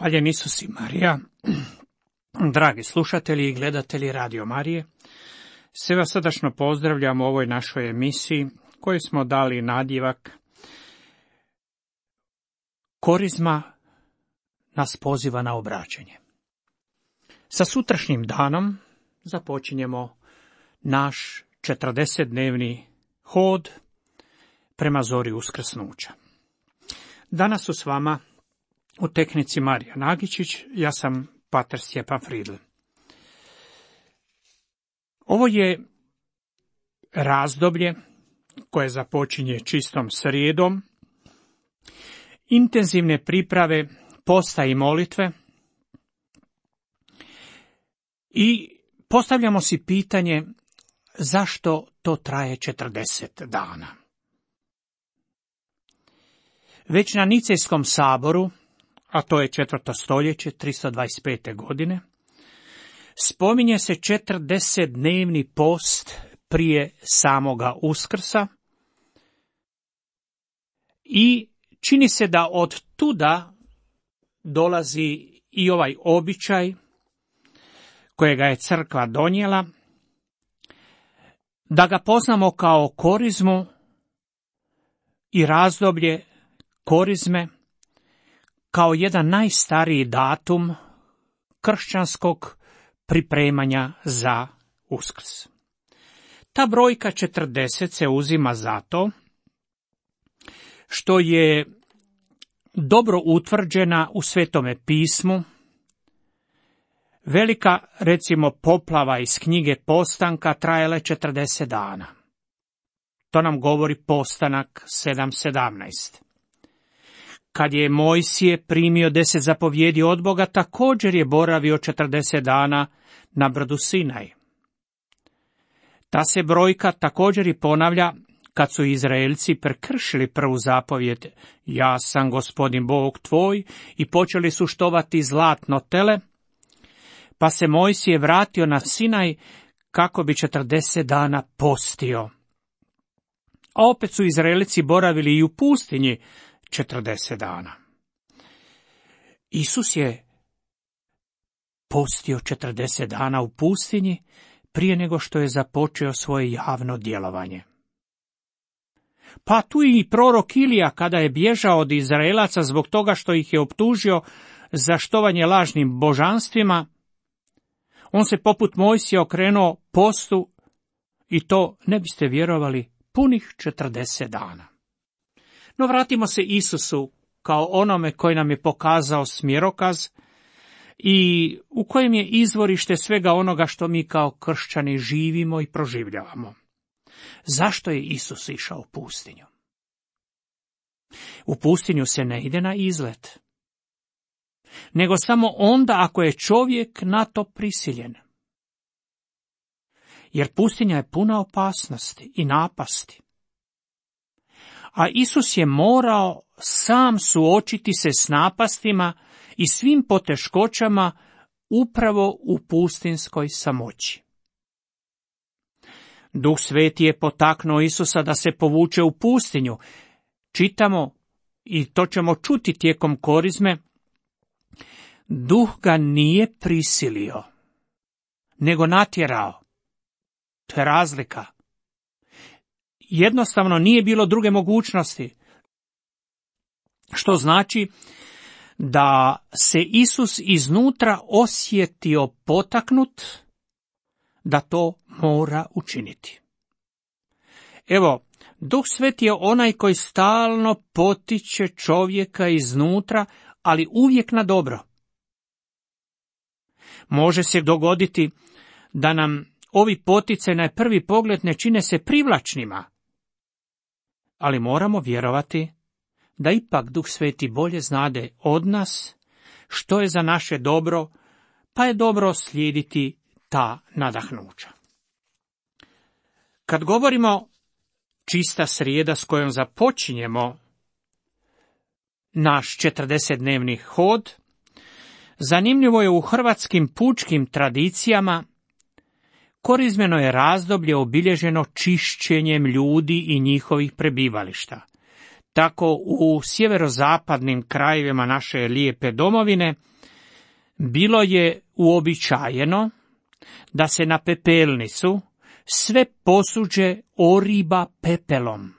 Hvaljen Isus i Marija, dragi slušatelji i gledatelji Radio Marije, sve vas srdačno pozdravljam u ovoj našoj emisiji koju smo dali nadjevak Korizma nas poziva na obraćanje. Sa sutrašnjim danom započinjemo naš 40-dnevni hod prema zori uskrsnuća. Danas su s vama u tehnici Marija Nagičić, ja sam pater Stjepan Fridl. Ovo je razdoblje koje započinje čistom srijedom, intenzivne priprave posta i molitve i postavljamo si pitanje zašto to traje 40 dana. Već na Nicejskom saboru, a to je 4. stoljeće, 325. godine, spominje se 40-dnevni post prije samoga Uskrsa i čini se da od tuda dolazi i ovaj običaj kojega je crkva donijela, da ga poznamo kao korizmu i razdoblje korizme kao jedan najstariji datum kršćanskog pripremanja za Uskrs. Ta brojka 40 se uzima zato što je dobro utvrđena u Svetome pismu. Velika, recimo, poplava iz knjige Postanka trajala je 40 dana. To nam govori Postanak 7.17. Kad je Mojsije primio 10 zapovjedi od Boga, također je boravio 40 dana na brdu Sinaj. Ta se brojka također i ponavlja kad su Izraelci prekršili prvu zapovjed, ja sam Gospodin Bog tvoj, i počeli su štovati zlatno tele, pa se Mojsije vratio na Sinaj kako bi 40 dana postio. A opet su Izraelci boravili i u pustinji 40 dana. Isus je postio 40 dana u pustinji prije nego što je započeo svoje javno djelovanje. Pa tu i prorok Ilija, kada je bježao od Izraelaca zbog toga što ih je optužio za štovanje lažnim božanstvima, on se poput Mojsija okrenuo postu i to, ne biste vjerovali, punih 40 dana. No vratimo se Isusu kao onome koji nam je pokazao smjerokaz i u kojem je izvorište svega onoga što mi kao kršćani živimo i proživljavamo. Zašto je Isus išao u pustinju? U pustinju se ne ide na izlet, nego samo onda ako je čovjek na to prisiljen. Jer pustinja je puna opasnosti i napasti. A Isus je morao sam suočiti se s napastima i svim poteškoćama upravo u pustinskoj samoći. Duh Sveti je potaknuo Isusa da se povuče u pustinju. Čitamo, i to ćemo čuti tijekom korizme, Duh ga nije prisilio, nego natjerao. To je razlika. Jednostavno nije bilo druge mogućnosti. Što znači da se Isus iznutra osjetio potaknut da to mora učiniti. Evo, Duh Sveti je onaj koji stalno potiče čovjeka iznutra, ali uvijek na dobro. Može se dogoditi da nam ovi poticaji na prvi pogled ne čine se privlačnima, ali moramo vjerovati da ipak Duh Sveti bolje znade od nas što je za naše dobro, pa je dobro slijediti ta nadahnuća. Kad govorimo čista srijeda s kojom započinjemo naš 40-dnevni hod, zanimljivo je u hrvatskim pučkim tradicijama korizmeno je razdoblje obilježeno čišćenjem ljudi i njihovih prebivališta. tako u sjeverozapadnim krajevima naše lijepe domovine bilo je uobičajeno da se na pepelnicu sve posuđe oriba pepelom.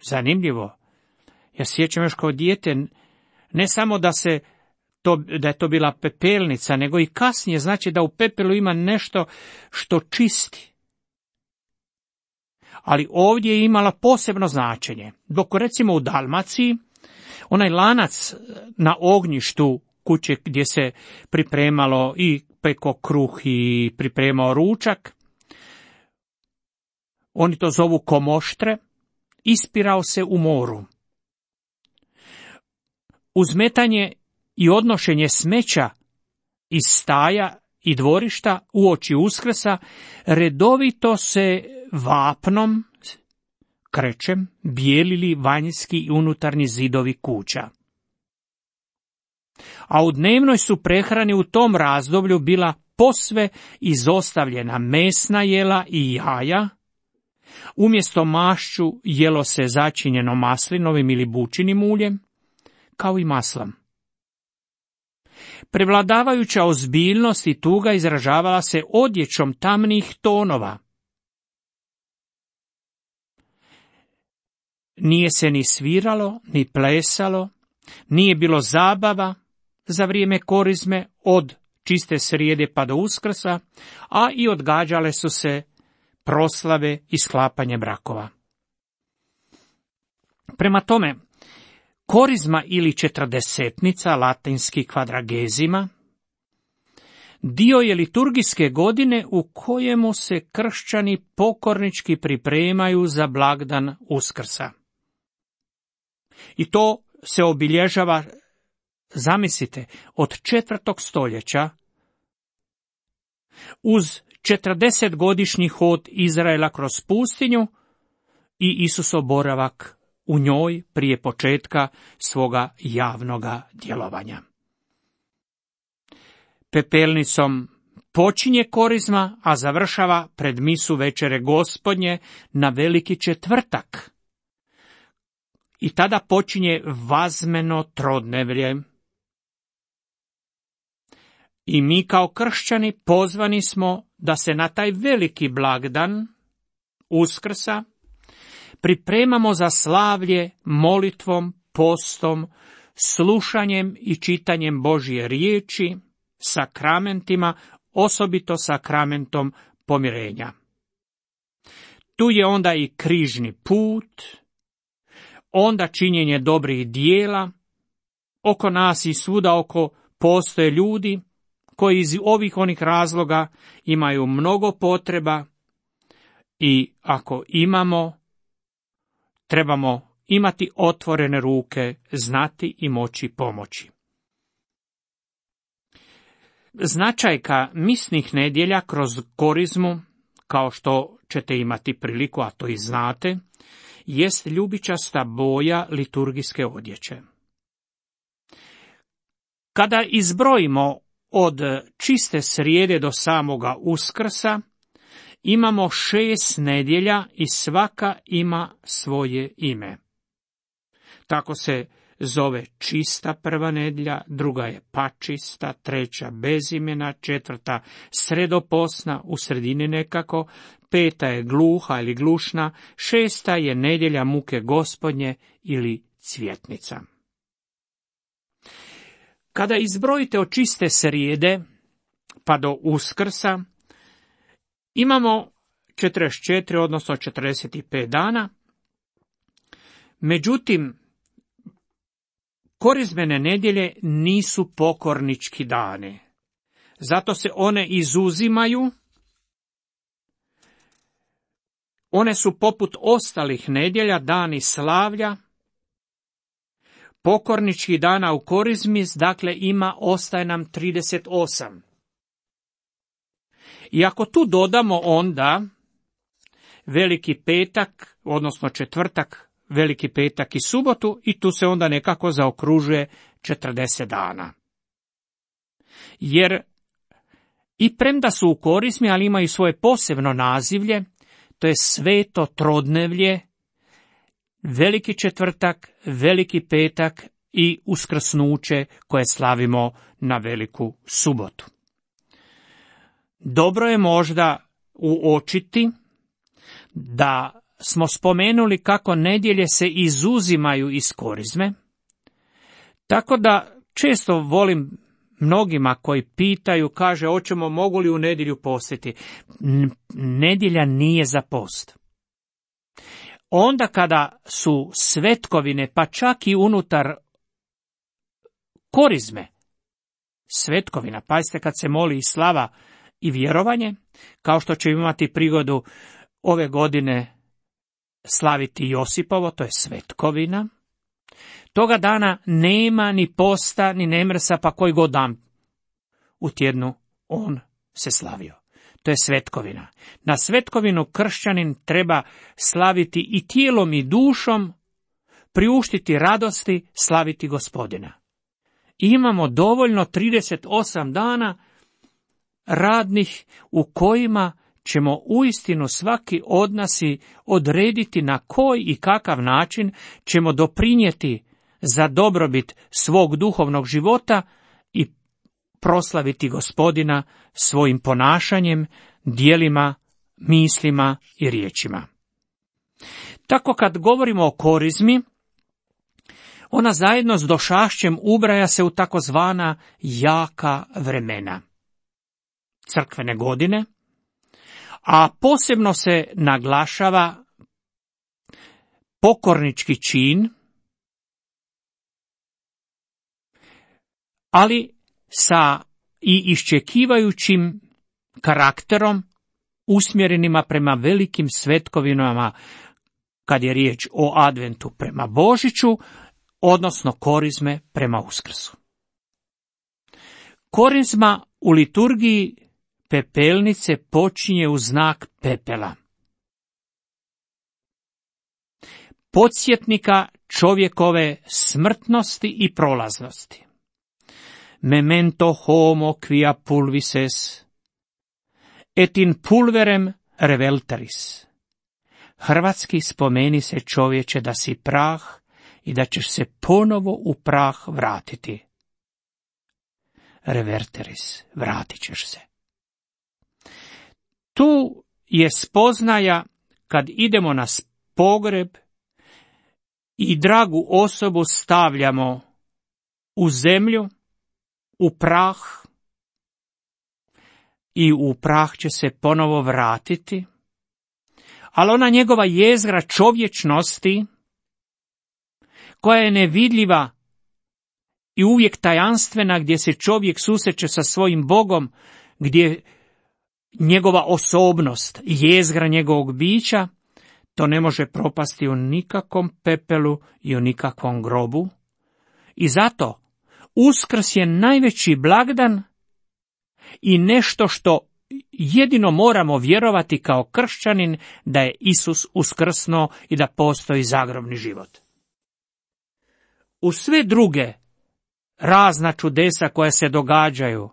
Zanimljivo. Ja sjećam još kao dijete, ne samo da je to bila pepelnica, nego i kasnije, znači da u pepelu ima nešto što čisti. Ali ovdje je imala posebno značenje. Dok recimo u Dalmaciji, onaj lanac na ognjištu kuće gdje se pripremalo i peko kruh i pripremao ručak, oni to zovu komoštre, ispirao se u moru. Uzmetanje i odnošenje smeća iz staja i dvorišta uoči Uskrsa redovito se vapnom, krečem, bijelili vanjski i unutarnji zidovi kuća. A u dnevnoj su prehrani u tom razdoblju bila posve izostavljena mesna jela i jaja. Umjesto mašću jelo se začinjeno maslinovim ili bućinim uljem, kao i maslom. Prevladavajuća ozbiljnost i tuga izražavala se odjećom tamnih tonova. Nije se ni sviralo, ni plesalo, nije bilo zabava za vrijeme korizme od čiste srijede pa do Uskrsa, a i odgađale su se proslave i sklapanje brakova. Prema tome, korizma ili četrdesetnica, latinski kvadragezima, dio je liturgijske godine u kojemu se kršćani pokornički pripremaju za blagdan Uskrsa. I to se obilježava, zamislite, od 4. stoljeća uz 40-godišnji hod Izraela kroz pustinju i Isusov boravak u njoj prije početka svoga javnoga djelovanja. Pepelnicom počinje korizma, a završava pred misu večere Gospodnje na Veliki četvrtak. I tada počinje vazmeno trodnevlje. I mi kao kršćani pozvani smo da se na taj veliki blagdan Uskrsa pripremamo za slavlje molitvom, postom, slušanjem i čitanjem Božje riječi, sakramentima, osobito sakramentom pomirenja. Tu je onda i križni put, onda činjenje dobrih dijela. Oko nas i svuda oko postoje ljudi koji iz onih razloga imaju mnogo potreba i ako trebamo imati otvorene ruke, znati i moći pomoći. Značajka misnih nedjelja kroz korizmu, kao što ćete imati priliku, a to i znate, jest ljubičasta boja liturgijske odjeće. Kada izbrojimo od čiste srijede do samoga Uskrsa, imamo 6 nedjelja i svaka ima svoje ime. Tako se zove čista prva nedjelja, druga je pačista, treća bezimena, četvrta sredoposna, u sredini nekako, peta je gluha ili glušna, šesta je nedjelja muke Gospodnje ili cvjetnica. Kada izbrojite od čiste srijede pa do Uskrsa, imamo 44, odnosno 45 dana. Međutim, korizmene nedjelje nisu pokornički dani. Zato se one izuzimaju. One su poput ostalih nedjelja dani slavlja. Pokorničkih dana u korizmi, dakle, ostaje nam 38. I ako tu dodamo onda Veliki petak, odnosno četvrtak, Veliki petak i subotu, i tu se onda nekako zaokružuje 40 dana. Jer i premda su u korizmi, ali imaju svoje posebno nazivlje, to je sveto trodnevlje, Veliki četvrtak, veliki petak i uskrsnuće koje slavimo na veliku subotu. Dobro je možda uočiti da smo spomenuli kako nedjelje se izuzimaju iz korizme, tako da često volim mnogima koji pitaju, kaže, mogu li u nedjelju postiti? Nedjelja nije za post. Onda kada su svetkovine, pa čak i unutar korizme, svetkovina, pazite kad se moli i slava i vjerovanje, kao što će imati prigodu ove godine slaviti Josipovo, to je svetkovina, toga dana nema ni posta, ni nemrsa, pa koji god dan u tjednu on se slavio. To je svetkovina. Na svetkovinu kršćanin treba slaviti i tijelom i dušom, priuštiti radosti, slaviti Gospodina. I imamo dovoljno 38 dana radnih u kojima ćemo uistinu svaki od nas odrediti na koji i kakav način ćemo doprinijeti za dobrobit svog duhovnog života i proslaviti Gospodina svojim ponašanjem, djelima, mislima i riječima. Tako kad govorimo o korizmi, ona zajedno s došašćem ubraja se u takozvana jaka vremena, crkvene godine, a posebno se naglašava pokornički čin, ali sa i iščekivajućim karakterom usmjerenima prema velikim svetkovinama kad je riječ o adventu prema Božiću, odnosno korizme prema Uskrsu. Korizma u liturgiji pepelnice počinje u znak pepela, podsjetnika čovjekove smrtnosti i prolaznosti. Memento homo quia pulvis es, et in pulverem reveltaris. Hrvatski, spomeni se čovječe da si prah i da ćeš se ponovo u prah vratiti. Reverteris, vratit ćeš se. Tu je spoznaja kad idemo na pogreb i dragu osobu stavljamo u zemlju, u prah, i u prah će se ponovo vratiti, ali ona njegova jezgra čovječnosti, koja je nevidljiva i uvijek tajanstvena, gdje se čovjek susreće sa svojim Bogom, gdje njegova osobnost, jezgra njegovog bića, to ne može propasti u nikakvom pepelu i u nikakvom grobu. I zato Uskrs je najveći blagdan i nešto što jedino moramo vjerovati kao kršćanin, da je Isus uskrsnuo i da postoji zagrobni život. U sve druge razna čudesa koja se događaju,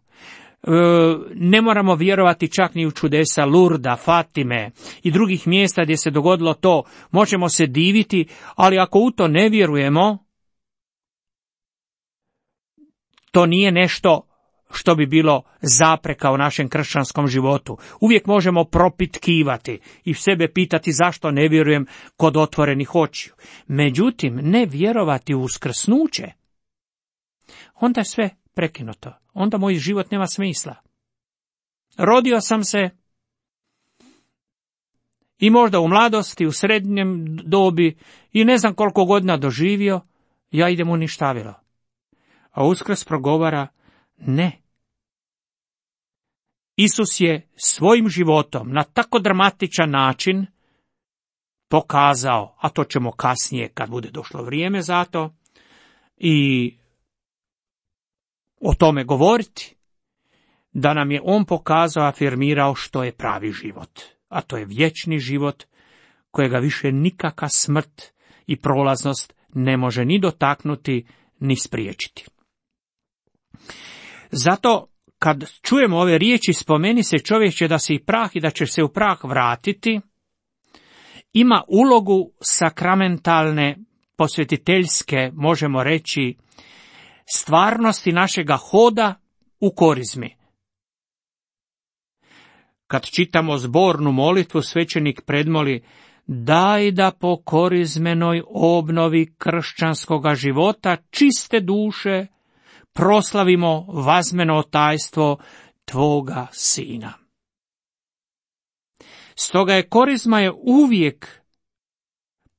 ne moramo vjerovati čak ni u čudesa Lurda, Fatime i drugih mjesta gdje se dogodilo to, možemo se diviti, ali ako u to ne vjerujemo, to nije nešto što bi bilo zapreka u našem kršćanskom životu. Uvijek možemo propitkivati i sebe pitati zašto ne vjerujem kod otvorenih očiju. Međutim, ne vjerovati u uskrsnuće, onda je sve prekinuto. Onda moj život nema smisla. Rodio sam se i možda u mladosti, u srednjem dobi i ne znam koliko godina doživio, ja idem u ništavilo. A Uskrs progovara ne. Isus je svojim životom na tako dramatičan način pokazao, a to ćemo kasnije kad bude došlo vrijeme za to, i o tome govoriti, da nam je on pokazao, afirmirao što je pravi život, a to je vječni život kojega više nikakva smrt i prolaznost ne može ni dotaknuti, ni spriječiti. Zato kad čujemo ove riječi, spomeni se čovječe da si prah i da ćeš se u prah vratiti, ima ulogu sakramentalne, posvetiteljske, možemo reći, stvarnosti našega hoda u korizmi. Kad čitamo zbornu molitvu, svećenik predmoli: daj da po korizmenoj obnovi kršćanskoga života čiste duše proslavimo vazmeno tajstvo tvoga Sina. Stoga je korizma je uvijek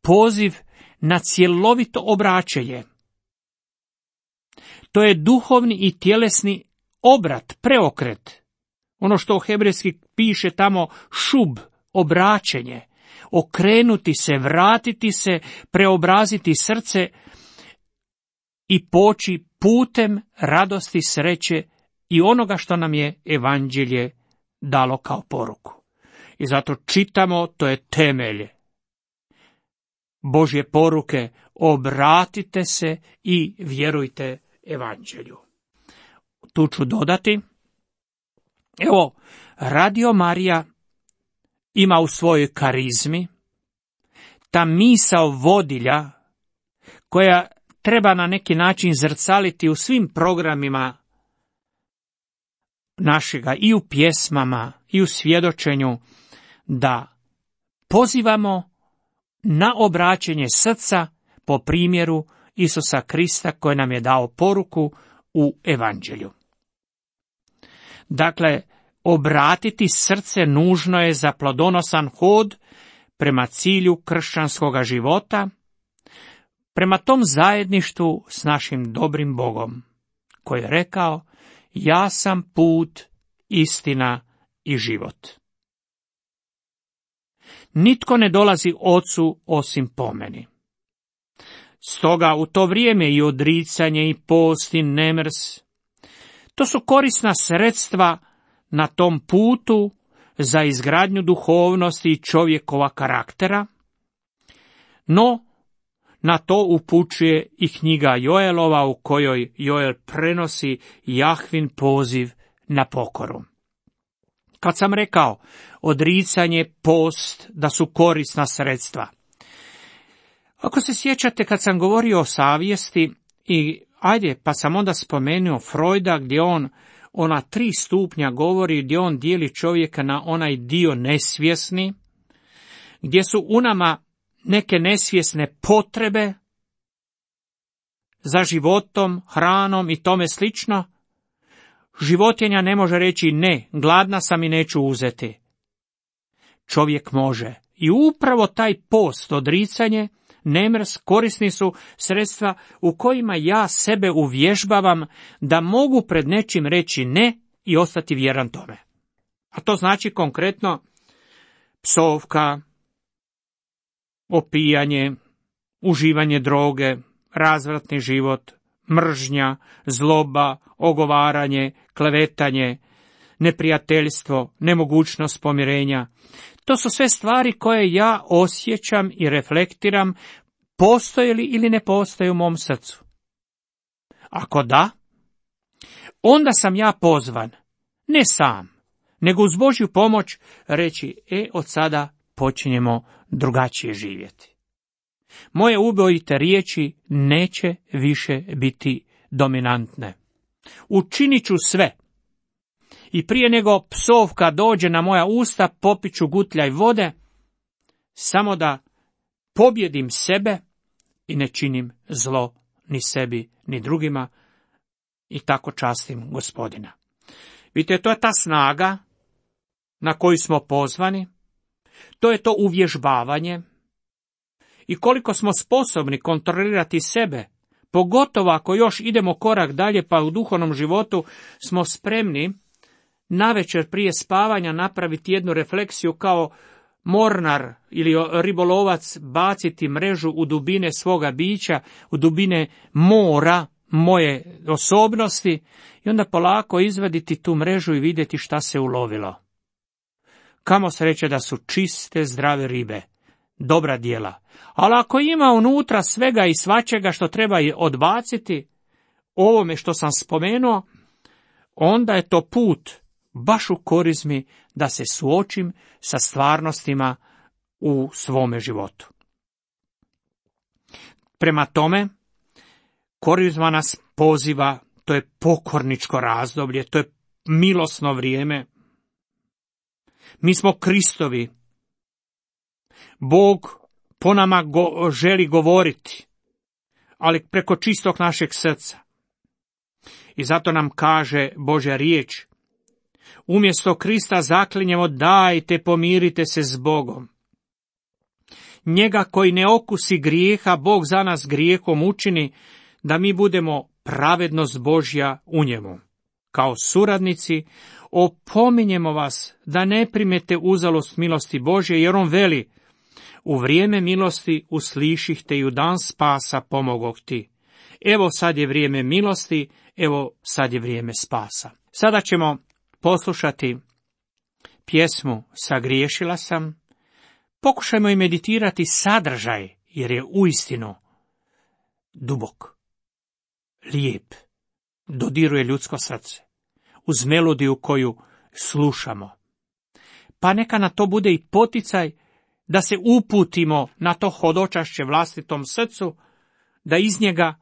poziv na cjelovito obraćanje. To je duhovni i tjelesni obrat, preokret. Ono što hebrejski piše tamo šub, obraćenje. Okrenuti se, vratiti se, preobraziti srce i poći putem radosti, sreće i onoga što nam je evanđelje dalo kao poruku. I zato čitamo, to je temelj Božje poruke: obratite se i vjerujte evanđelju. Tu ću dodati, evo, Radio Marija ima u svojoj karizmi ta misao vodilja koja treba na neki način zrcaliti u svim programima našega, i u pjesmama i u svjedočenju, da pozivamo na obraćenje srca po primjeru Isusa Krista koji nam je dao poruku u evanđelju. Dakle, obratiti srce nužno je za plodonosan hod prema cilju kršćanskoga života, prema tom zajedništvu s našim dobrim Bogom, koji je rekao: ja sam put, istina i život. Nitko ne dolazi Ocu osim po meni. Stoga u to vrijeme i odricanje i post i nemrs, to su korisna sredstva na tom putu za izgradnju duhovnosti i čovjekova karaktera, no na to upućuje i knjiga Joelova, u kojoj Joel prenosi Jahvin poziv na pokoru. Kad sam rekao odricanje, post, da su korisna sredstva, ako se sjećate kad sam govorio o savjesti, pa sam onda spomenuo Freuda, gdje on ona 3 stupnja govori, gdje on dijeli čovjeka na onaj dio nesvjesni, gdje su u nama neke nesvjesne potrebe za životom, hranom i tome slično. Životinja ne može reći ne, gladna sam i neću uzeti. Čovjek može. I upravo taj post, odricanje, nemrs, korisni su sredstva u kojima ja sebe uvježbavam da mogu pred nečim reći ne i ostati vjeran tome. A to znači konkretno psovka, opijanje, uživanje droge, razvratni život, mržnja, zloba, ogovaranje, klevetanje, neprijateljstvo, nemogućnost pomirenja. To su sve stvari koje ja osjećam i reflektiram, postoje li ili ne postoje u mom srcu. Ako da, onda sam ja pozvan, ne sam, nego uz Božju pomoć reći: od sada počinjemo drugačije živjeti. Moje ubojite riječi neće više biti dominantne. Učinit ću sve. I prije nego psovka dođe na moja usta, popit ću gutljaj vode, samo da pobjedim sebe i ne činim zlo ni sebi ni drugima i tako častim Gospodina. Vidite, to je ta snaga na koju smo pozvani, to je to uvježbavanje i koliko smo sposobni kontrolirati sebe, pogotovo ako još idemo korak dalje pa u duhovnom životu smo spremni navečer prije spavanja napraviti jednu refleksiju kao mornar ili ribolovac, baciti mrežu u dubine svoga bića, u dubine mora moje osobnosti i onda polako izvaditi tu mrežu i vidjeti šta se ulovilo. Kamo sreće da su čiste, zdrave ribe, dobra djela. Ali ako ima unutra svega i svačega što treba odbaciti, ovome što sam spomenuo, onda je to put baš u korizmi da se suočim sa stvarnostima u svome životu. Prema tome, Korizma nas poziva, to je pokorničko razdoblje, to je milosno vrijeme. Mi smo Kristovi. Bog po nama želi govoriti, ali preko čistog našeg srca. I zato nam kaže Božja riječ, umjesto Krista zaklinjemo, dajte, pomirite se s Bogom. Njega koji ne okusi grijeha, Bog za nas grijehom učini, da mi budemo pravednost Božja u njemu. Kao suradnici, opominjemo vas da ne primete uzalost milosti Božje, jer on veli, u vrijeme milosti usliših te i u dan spasa pomogoh ti. Evo sad je vrijeme milosti, evo sad je vrijeme spasa. Sada ćemo poslušati pjesmu Sagriješila sam. Pokušajmo i meditirati sadržaj, jer je uistinu dubok, lijep, dodiruje ljudsko srce, uz melodiju koju slušamo. Pa neka na to bude i poticaj da se uputimo na to hodočašće vlastitom srcu, da iz njega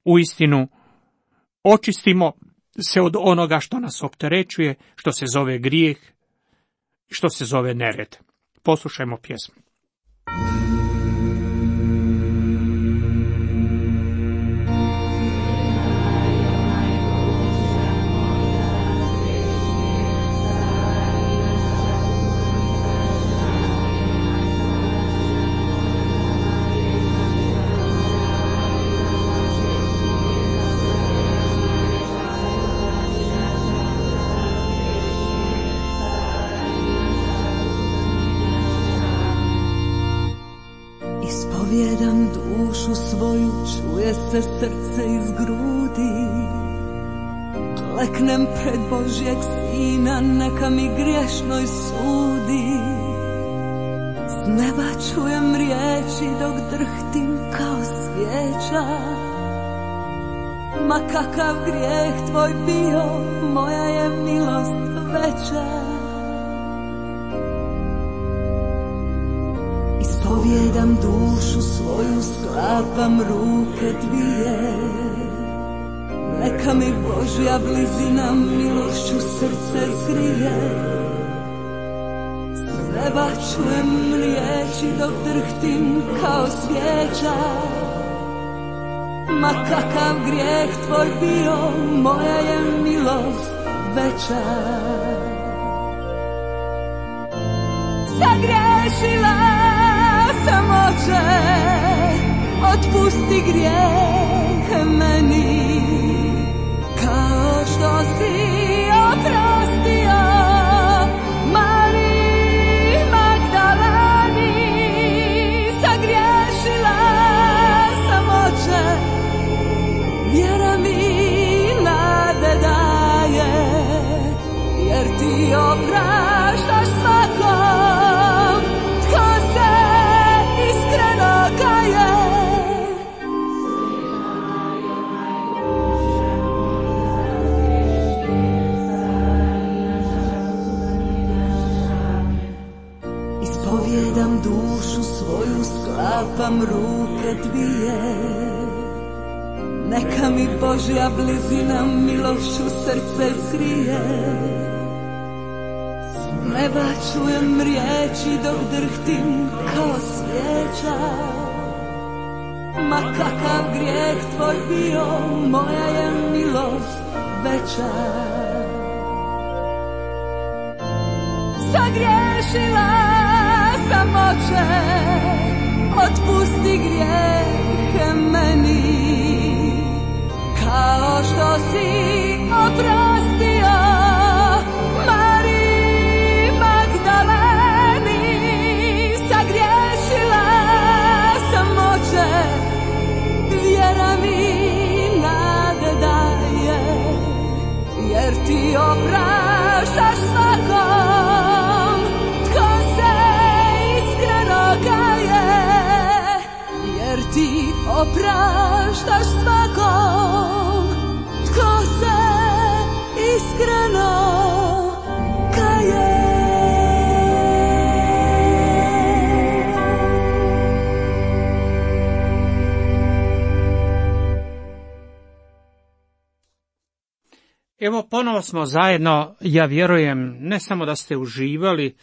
uistinu očistimo se od onoga što nas opterećuje, što se zove grijeh, što se zove nered. Poslušajmo pjesmu. Ispovjedam dušu svoju, čuje se srce iz grudi. Kleknem pred Božjeg Sina, neka mi griješnoj sudi. S neba čujem riječi dok drhtim kao svijeća. Ma kakav grijeh tvoj bio, moja je milost veća. Ispovjedam dušu svoju, sklapam ruke dvije. Neka mi Božja blizina milošću srce zgrije. S neba čujem riječi dok drhtim kao svijeća. Ma kakav grijeh tvoj bio, moja je milost veća. Sagriješila sam, Oče, otpusti grijeh meni, kao što si oprostio Mariji Magdaleni. Sagriješila sam, Oče, vjera mi nade daje, jer ti opraštaš svakom tko se iskreno kaje. Ispovjedam dušu svoju, sklapam ruke dvije. Neka mi Božja blizina milošću srce zgrije. S neba čujem riječi dok drhtim kao svijeća. Ma kakav grijeh tvoj bio, moja je milost veća. Sagriješila sam, Oče, otpusti grijeh meni, kao što si oprostio Mariji Magdaleni. Sagriješila sam, Oče, vjera mi nade daje, jer ti opraštaš svakom tko se iskreno kaje. Jer ti opraštaš svakom tko se iskreno kaje. Evo, ponovo smo zajedno, ja vjerujem, ne samo da ste uživali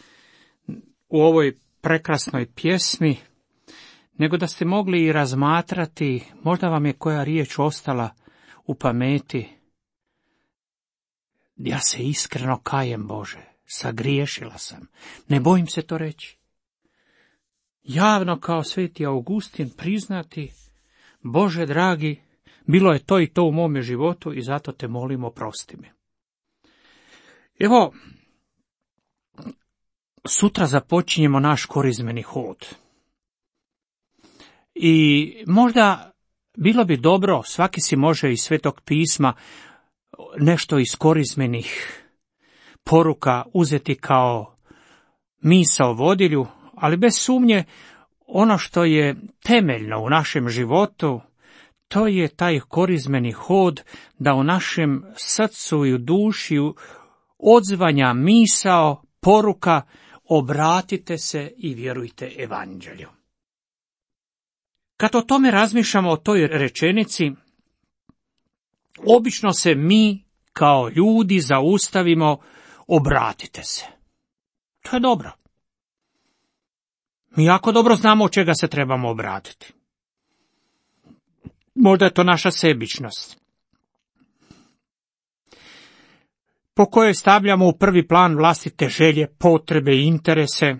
u ovoj prekrasnoj pjesmi, nego da ste mogli i razmatrati, možda vam je koja riječ ostala u pameti. Ja se iskreno kajem, Bože, sagriješila sam, ne bojim se to reći. Javno kao sveti Augustin priznati, Bože dragi, bilo je to i to u mome životu i zato te molim, oprosti mi. Evo, sutra započinjemo naš korizmeni hod. I možda bilo bi dobro, svaki si može iz Svetog pisma nešto iz korizmenih poruka uzeti kao misao vodilju, ali bez sumnje ono što je temeljno u našem životu, to je taj korizmeni hod da u našem srcu i u duši odzvanja misao, poruka, obratite se i vjerujte evanđelju. Kad o tome razmišljamo o toj rečenici, obično se mi kao ljudi zaustavimo, obratite se. To je dobro. Mi jako dobro znamo od čega se trebamo obratiti. Možda je to naša sebičnost, po kojoj stavljamo u prvi plan vlastite želje, potrebe i interese.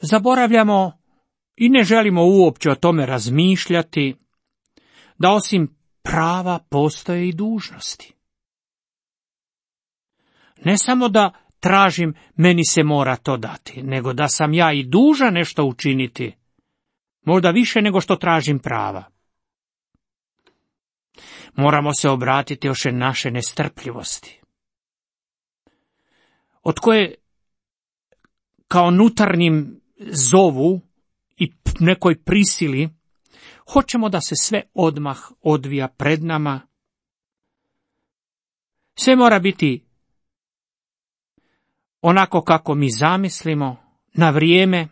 Zaboravljamo i ne želimo uopće o tome razmišljati, da osim prava postoje i dužnosti. Ne samo da tražim, meni se mora to dati, nego da sam ja i dužan nešto učiniti, možda više nego što tražim prava. Moramo se obratiti još naše nestrpljivosti, od koje kao unutarnjim zovu i nekoj prisili hoćemo da se sve odmah odvija pred nama. Sve mora biti onako kako mi zamislimo, na vrijeme.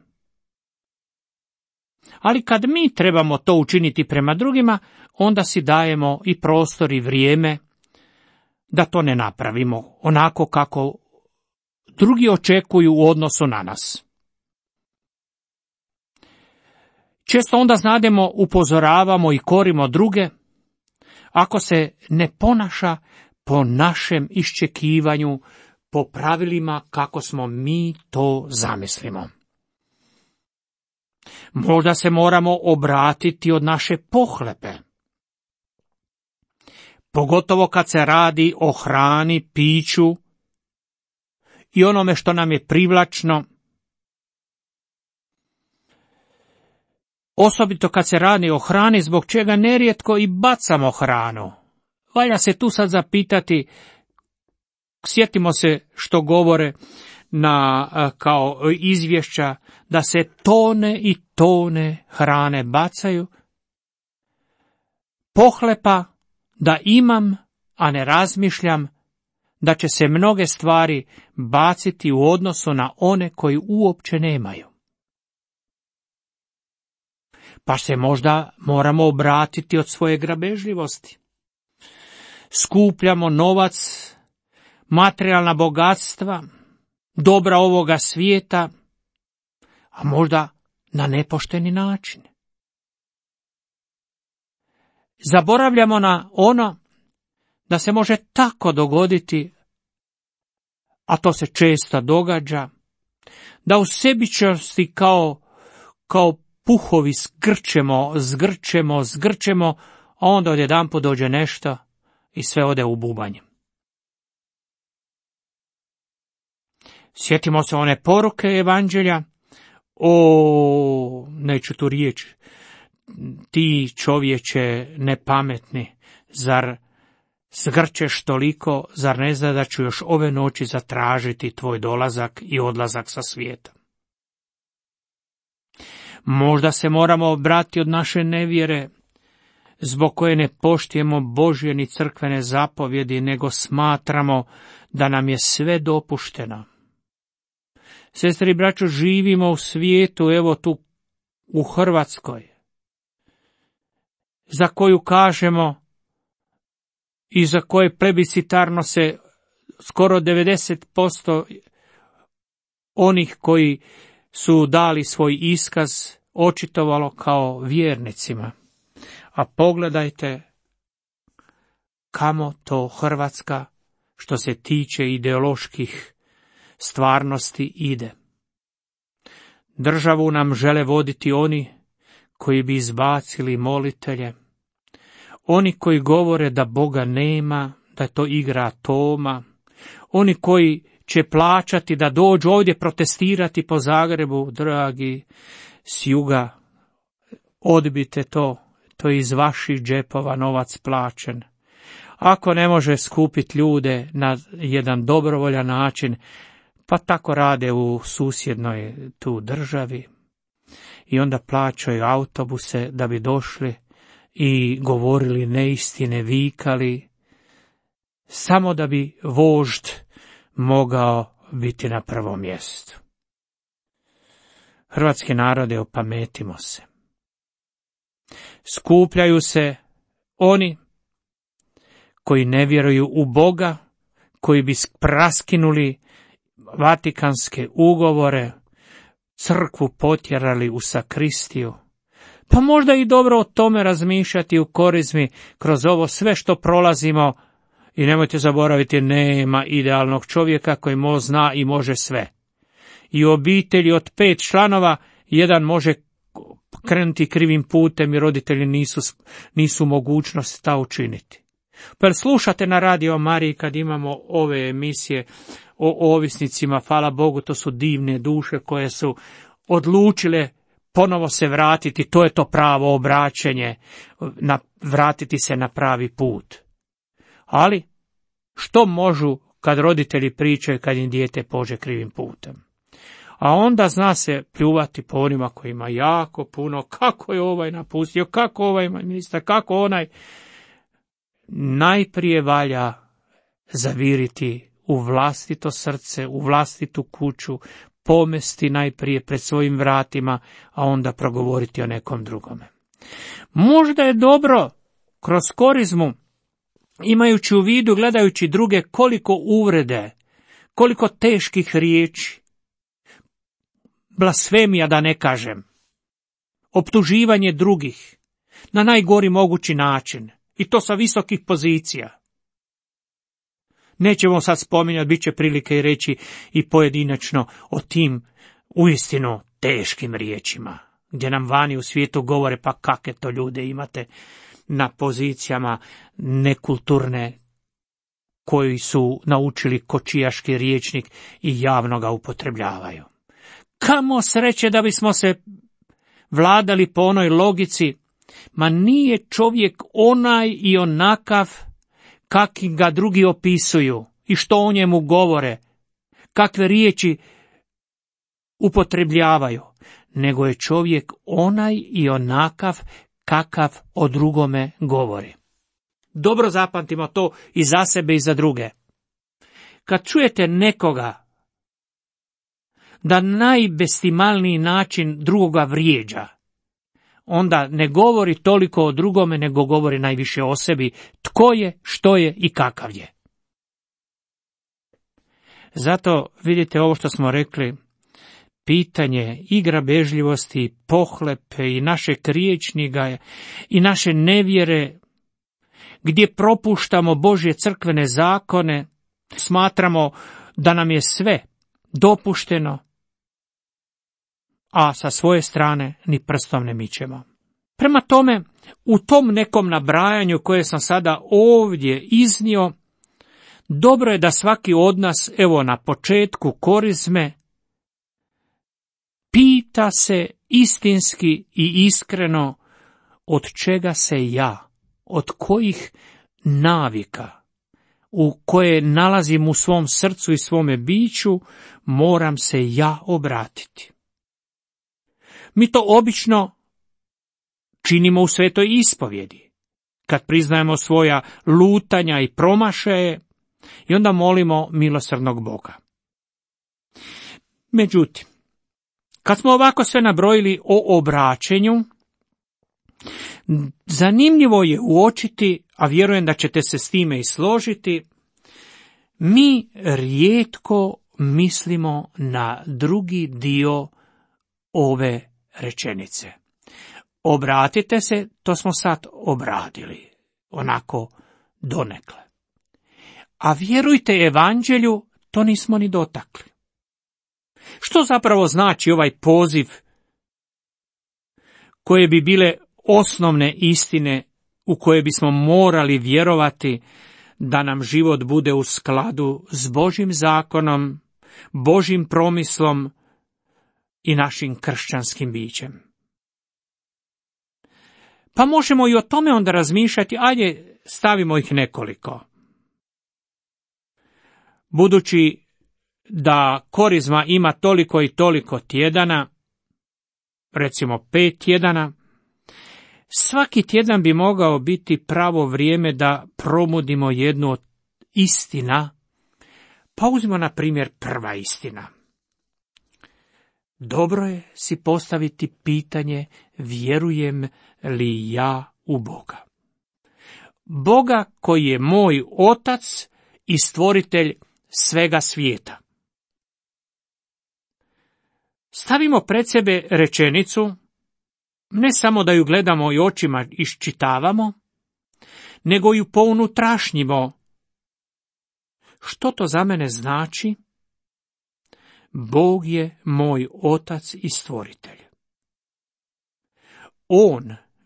Ali kad mi trebamo to učiniti prema drugima, onda si dajemo i prostor i vrijeme da to ne napravimo onako kako drugi očekuju u odnosu na nas. Često onda znademo, upozoravamo i korimo druge, ako se ne ponaša po našem iščekivanju, po pravilima kako smo mi to zamislimo. Možda se moramo obratiti od naše pohlepe. Pogotovo kad se radi o hrani, piću i onome što nam je privlačno. Osobito kad se radi o hrani, zbog čega nerijetko i bacamo hranu. Valja se tu sad zapitati, sjetimo se što govore kao izvješća, da se tone i tone hrane bacaju. Pohlepa da imam, a ne razmišljam, da će se mnoge stvari baciti u odnosu na one koji uopće nemaju. Pa se možda moramo obratiti od svoje grabežljivosti. Skupljamo novac, materijalna bogatstva, dobra ovoga svijeta, a možda na nepošteni način. Zaboravljamo na ono da se može tako dogoditi, a to se često događa, da u sebičnosti kao puhovi zgrčemo, a onda odjedanput dođe nešto i sve ode u bubanj. Sjetimo se one poruke evanđelja, neću tu riječ, ti čovječe nepametni, zar zgrčeš toliko, zar ne zna da ću još ove noći zatražiti tvoj dolazak i odlazak sa svijeta? Možda se moramo obratiti od naše nevjere, zbog koje ne poštujemo Božje ni crkvene zapovjedi, nego smatramo da nam je sve dopušteno. Sestri i braćo, živimo u svijetu, evo tu u Hrvatskoj, za koju kažemo i za koje plebiscitarno se skoro 90% onih koji su dali svoj iskaz očitovalo kao vjernicima. A pogledajte kamo to Hrvatska, što se tiče ideoloških stvarnosti, ide. Državu nam žele voditi oni koji bi izbacili molitelje, oni koji govore da Boga nema, da je to igra Toma, oni koji će plaćati da dođu ovdje protestirati po Zagrebu. Dragi, s juga odbite to je iz vaših džepova novac plaćen. Ako ne može skupiti ljude na jedan dobrovoljan način, pa tako rade u susjednoj tu državi i onda plaćaju autobuse da bi došli i govorili neistine, vikali, samo da bi vožd mogao biti na prvom mjestu. Hrvatski narode, opametimo se. Skupljaju se oni koji ne vjeruju u Boga, koji bi raskinuli Vatikanske ugovore, crkvu potjerali u sakristiju. Pa možda i dobro o tome razmišljati u Korizmi kroz ovo sve što prolazimo. I nemojte zaboraviti, nema idealnog čovjeka koji zna i može sve. I u obitelji od 5 članova jedan može krenuti krivim putem i roditelji nisu mogućnost ta učiniti. Pa slušate na Radio Mariji kad imamo ove emisije o ovisnicima, hvala Bogu, to su divne duše koje su odlučile ponovo se vratiti, to je to pravo obraćenje, vratiti se na pravi put. Ali, što možu kad roditelji pričaju kad im dijete pođe krivim putem? A onda zna se pljuvati po onima koji ima jako puno, kako je ovaj napustio, kako ovaj ministar, kako onaj. Najprije valja zaviriti u vlastito srce, u vlastitu kuću, pomesti najprije pred svojim vratima, a onda progovoriti o nekom drugome. Možda je dobro kroz Korizmu, imajući u vidu, gledajući druge, koliko uvrede, koliko teških riječi, blasfemija da ne kažem, optuživanje drugih na najgori mogući način, i to sa visokih pozicija. Nećemo sad spominjati, bit će prilike i reći i pojedinačno o tim uistinu teškim riječima, gdje nam vani u svijetu govore pa kakve to ljude imate na pozicijama nekulturne, koji su naučili kočijaški rječnik i javno ga upotrebljavaju. Kamo sreće da bismo se vladali po onoj logici, ma nije čovjek onaj i onakav kakvi ga drugi opisuju i što o njemu govore, kakve riječi upotrebljavaju, nego je čovjek onaj i onakav kakav o drugome govori. Dobro zapamtimo to i za sebe i za druge. Kad čujete nekoga da najbestimalniji način drugoga vrijeđa, onda ne govori toliko o drugome, nego govori najviše o sebi, tko je, što je i kakav je. Zato vidite ovo što smo rekli, pitanje i grabežljivosti, pohlepe i našeg riječnika i naše nevjere, gdje propuštamo Božje crkvene zakone, smatramo da nam je sve dopušteno, a sa svoje strane ni prstom ne mičemo. Prema tome, u tom nekom nabrajanju koje sam sada ovdje iznio, dobro je da svaki od nas, evo na početku Korizme, pita se istinski i iskreno od čega se ja, od kojih navika u koje nalazim u svom srcu i svome biću, moram se ja obratiti. Mi to obično činimo u svetoj ispovjedi, kad priznajemo svoja lutanja i promašaje i onda molimo milosrdnog Boga. Međutim, kad smo ovako sve nabrojili o obraćenju, Zanimljivo je uočiti, a vjerujem da ćete se s time i složiti, mi rijetko mislimo na drugi dio ove rečenice. Obratite se, to smo sad obradili, onako donekle. A vjerujte evanđelju, to nismo ni dotakli. Što zapravo znači ovaj poziv koje bi bile osnovne istine u koje bismo morali vjerovati da nam život bude u skladu s Božjim zakonom, Božjim promislom i našim kršćanskim bićem? Pa možemo i o tome onda razmišljati, ajde stavimo ih nekoliko. Budući da korizma ima toliko i toliko tjedana, recimo 5 tjedana, svaki tjedan bi mogao biti pravo vrijeme da promudimo jednu od istina. Pa uzmimo na primjer prva istina. Dobro je si postaviti pitanje, vjerujem li ja u Boga? Boga koji je moj otac i stvoritelj svega svijeta. Stavimo pred sebe rečenicu, ne samo da ju gledamo i očima iščitavamo, nego ju pounutrašnjimo. Što to za mene znači? Bog je moj otac i stvoritelj.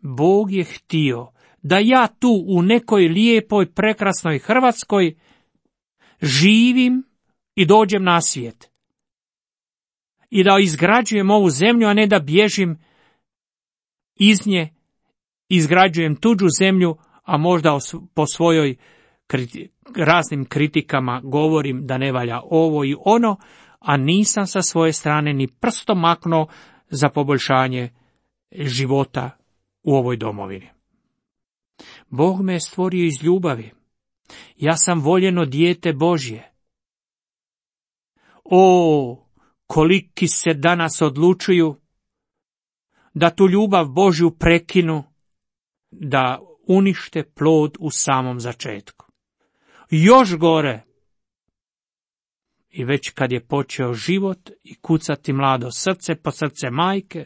Bog je htio da ja tu u nekoj lijepoj, prekrasnoj Hrvatskoj živim i dođem na svijet. I da izgrađujem ovu zemlju, a ne da bježim iz nje, izgrađujem tuđu zemlju, a možda po svojoj raznim kritikama govorim da ne valja ovo i ono, a nisam sa svoje strane ni prstom maknuo za poboljšanje života u ovoj domovini. Bog me je stvorio iz ljubavi. Ja sam voljeno dijete Božje. Koliki se danas odlučuju da tu ljubav Božju prekinu, da unište plod u samom začetku. Još gore, i već kad je počeo život i kucati mlado srce po srce majke,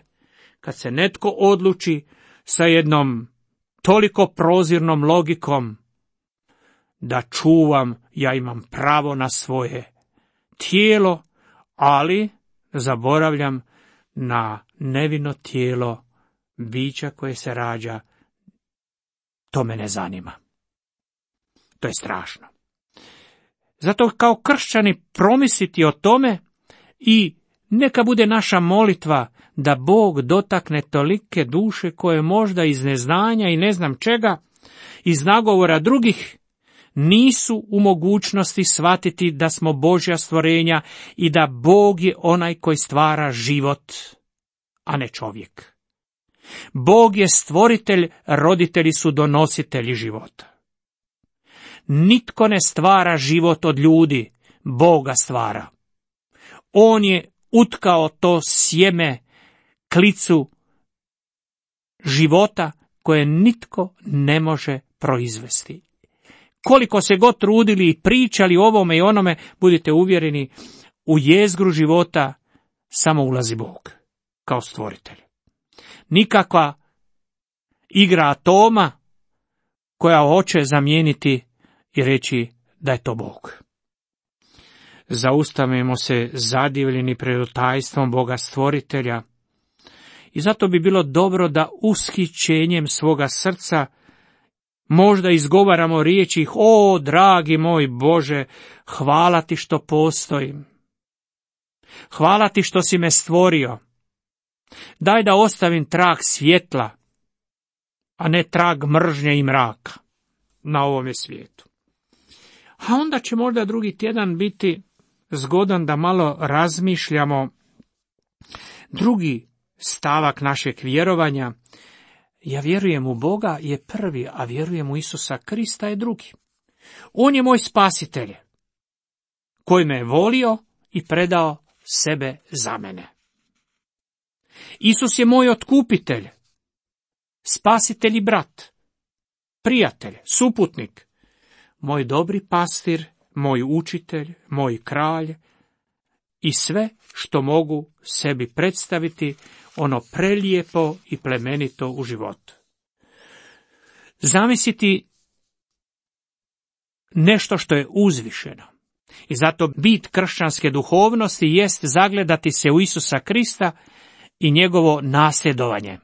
kad se netko odluči sa jednom toliko prozirnom logikom da ja imam pravo na svoje tijelo, ali zaboravljam na nevino tijelo bića koje se rađa, to me ne zanima. To je strašno. Zato kao kršćani promisliti o tome i neka bude naša molitva da Bog dotakne tolike duše koje možda iz neznanja i ne znam čega, iz nagovora drugih, nisu u mogućnosti shvatiti da smo Božja stvorenja i da Bog je onaj koji stvara život, a ne čovjek. Bog je stvoritelj, roditelji su donositelji života. Nitko ne stvara život od ljudi, Boga stvara. On je utkao to sjeme, klicu života koje nitko ne može proizvesti. Koliko se god trudili i pričali o ovome i onome, budite uvjereni, u jezgru života samo ulazi Bog kao stvoritelj. Nikakva igra atoma koja hoće zamijeniti i reći da je to Bog. Zaustavimo se zadivljeni pred tajstvom Boga stvoritelja i zato bi bilo dobro da ushićenjem svoga srca možda izgovaramo riječi: dragi moj Bože, hvala ti što postojim. Hvala ti što si me stvorio. Daj da ostavim trag svjetla, a ne trag mržnje i mraka na ovome svijetu. A onda će možda drugi tjedan biti zgodan da malo razmišljamo drugi stavak našeg vjerovanja. Ja vjerujem u Boga je prvi, a vjerujem u Isusa Krista je drugi. On je moj spasitelj, koji me je volio i predao sebe za mene. Isus je moj otkupitelj, spasitelj i brat, prijatelj, suputnik, moj dobri pastir, moj učitelj, moj kralj i sve što mogu sebi predstaviti ono prelijepo i plemenito u životu. Zamisliti nešto što je uzvišeno. I zato bit kršćanske duhovnosti jest zagledati se u Isusa Krista i njegovo nasljedovanje.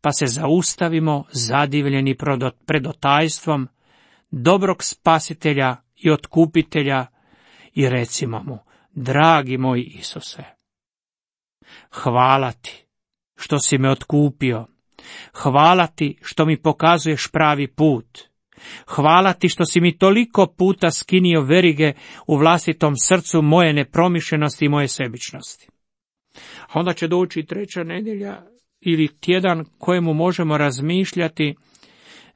Pa se zaustavimo zadivljeni pred otajstvom dobrog spasitelja i otkupitelja i recimo mu: dragi moj Isuse, hvala ti što si me otkupio, hvala ti što mi pokazuješ pravi put, hvala ti što si mi toliko puta skinio verige u vlastitom srcu moje nepromišljenosti i moje sebičnosti. A onda će doći 3. nedjelja ili tjedan kojemu možemo razmišljati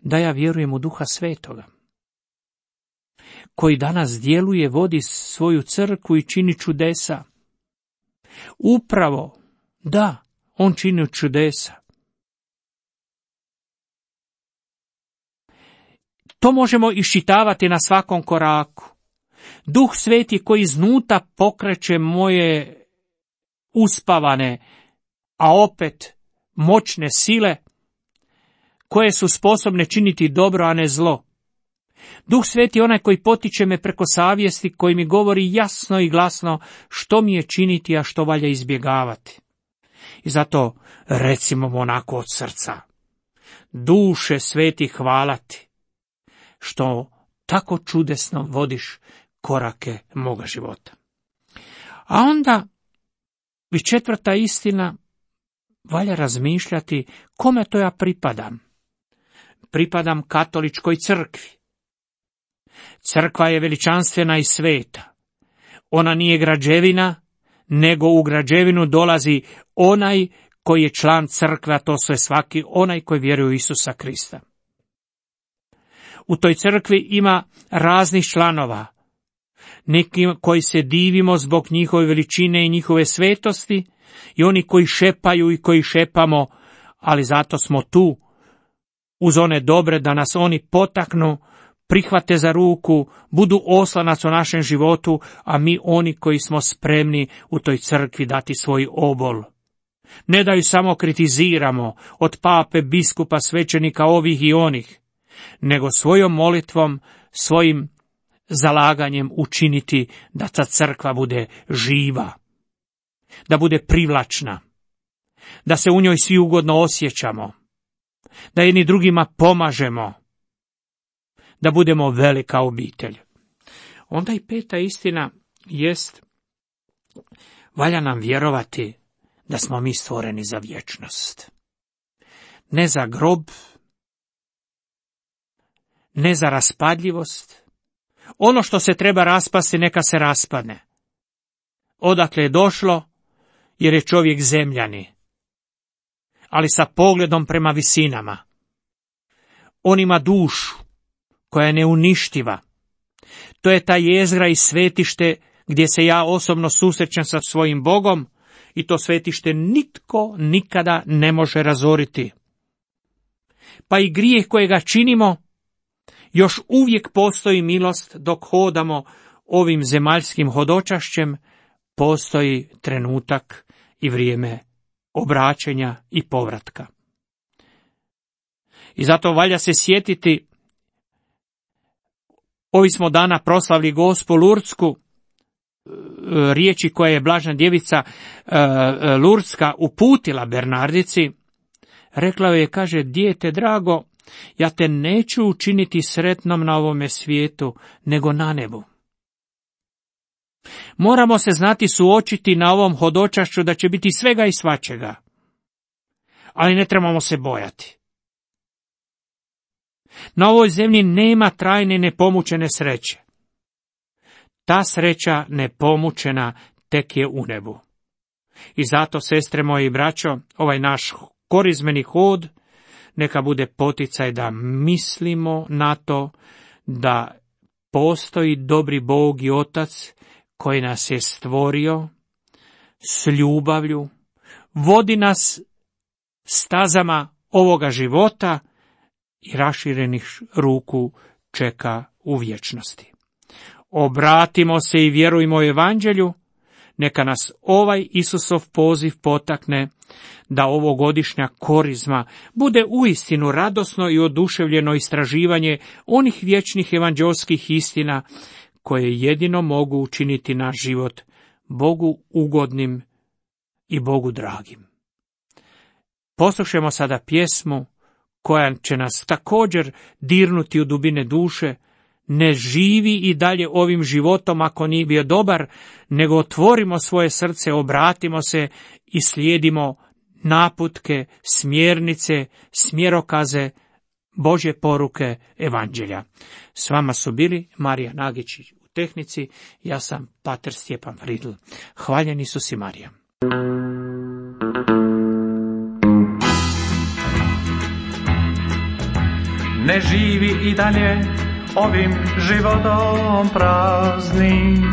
da ja vjerujem u Duha Svetoga, koji danas djeluje, vodi svoju crkvu i čini čudesa. Upravo, da, on čini čudesa. To možemo iščitavati na svakom koraku. Duh Sveti koji iznuta pokreće moje uspavane, a opet moćne sile, koje su sposobne činiti dobro, a ne zlo. Duh Sveti je onaj koji potiče me preko savjesti, koji mi govori jasno i glasno što mi je činiti, a što valja izbjegavati. I zato recimo onako od srca: duše sveti, hvala ti što tako čudesno vodiš korake moga života. A onda, i 4. istina, valja razmišljati kome to ja pripadam. Pripadam katoličkoj crkvi. Crkva je veličanstvena i sveta. Ona nije građevina, nego u građevinu dolazi onaj koji je član crkve, a to je svaki onaj koji vjeruje u Isusa Krista. U toj crkvi ima raznih članova, neki koji se divimo zbog njihove veličine i njihove svetosti, i oni koji šepaju i koji šepamo, ali zato smo tu uz one dobre da nas oni potaknu, prihvate za ruku, budu oslanac u našem životu, a mi oni koji smo spremni u toj crkvi dati svoj obol. Ne da ju samo kritiziramo od pape, biskupa, svećenika ovih i onih, nego svojom molitvom, svojim zalaganjem učiniti da ta crkva bude živa, da bude privlačna, da se u njoj svi ugodno osjećamo, da jedni drugima pomažemo, da budemo velika obitelj. Onda i 5. istina jest, valja nam vjerovati da smo mi stvoreni za vječnost. Ne za grob, ne za raspadljivost. Ono što se treba raspasti, neka se raspadne. Odakle je došlo, jer je čovjek zemljani, ali sa pogledom prema visinama. On ima dušu koja je neuništiva. To je ta jezgra i svetište gdje se ja osobno susrećem sa svojim Bogom, i to svetište nitko nikada ne može razoriti. Pa i grijeh kojega činimo, još uvijek postoji milost dok hodamo ovim zemaljskim hodočašćem, postoji trenutak i vrijeme obraćanja i povratka. I zato valja se sjetiti, ovi smo dana proslavili Gospu Lurdsku, riječi koje je Blažena djevica Lurdska uputila Bernardici. Rekla joj je, kaže: dijete drago, ja te neću učiniti sretnom na ovome svijetu, nego na nebu. Moramo se znati suočiti na ovom hodočašću da će biti svega i svačega, ali ne trebamo se bojati. Na ovoj zemlji nema trajne nepomučene sreće. Ta sreća nepomučena tek je u nebu. I zato, sestre moje i braćo, ovaj naš korizmeni hod neka bude poticaj da mislimo na to da postoji dobri Bog i Otac koji nas je stvorio s ljubavlju, vodi nas stazama ovoga života i raširenih ruku čeka u vječnosti. Obratimo se i vjerujmo u evanđelju, neka nas ovaj Isusov poziv potakne da ovogodišnja korizma bude uistinu radosno i oduševljeno istraživanje onih vječnih evanđelskih istina koje jedino mogu učiniti naš život Bogu ugodnim i Bogu dragim. Poslušajmo sada pjesmu koja će nas također dirnuti u dubine duše. Ne živi i dalje ovim životom ako nije bio dobar, nego otvorimo svoje srce, obratimo se i slijedimo naputke, smjernice, smjerokaze Božje poruke evanđelja. S vama su bili Marija Nagić u tehnici, ja sam pater Stjepan Fridl. Hvaljen Isus i Marija. Ne živi i dalje ovim životom praznim,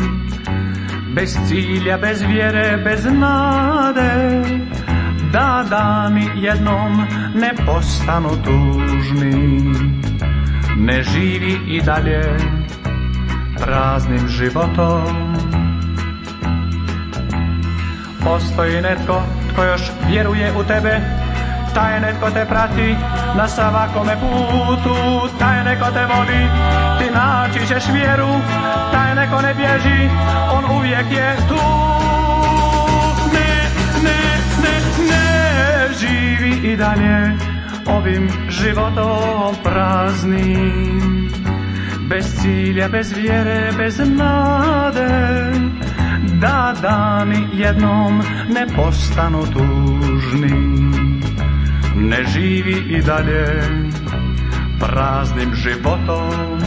bez cilja, bez vjere, bez nade, da dani jednom ne postanu tužni. Ne živi i dalje praznim životom. Postoji netko tko još vjeruje u tebe, taj netko te prati na svakome putu, taj neko te voli, ti naći ćeš vjeru, taj neko ne bježi, on uvijek je tu. Ne živi i dalje ovim životom praznim, bez cilja, bez vjere, bez nade, da dani jednom ne postanu tužni. Ne živi i dalje praznim životom.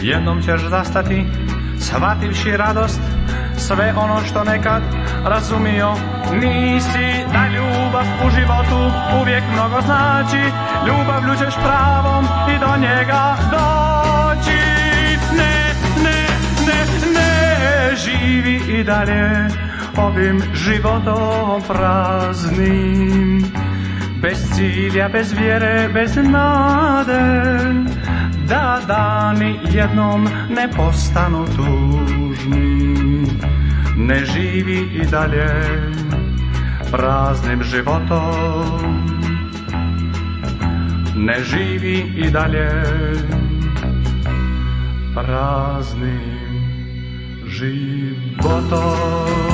Jednom ćeš zastati, shvativši radost, sve ono što nekad razumio nisi, da ljubav u životu uvijek mnogo znači, ljubavlju ćeš pravom i do njega doći. Ne živi i dalje ovim životom praznim, bez cilja, bez vjere, bez nade, da dani jednom ne postanu tužni. Ne živi i dalje praznim životom. Ne živi i dalje praznim životom.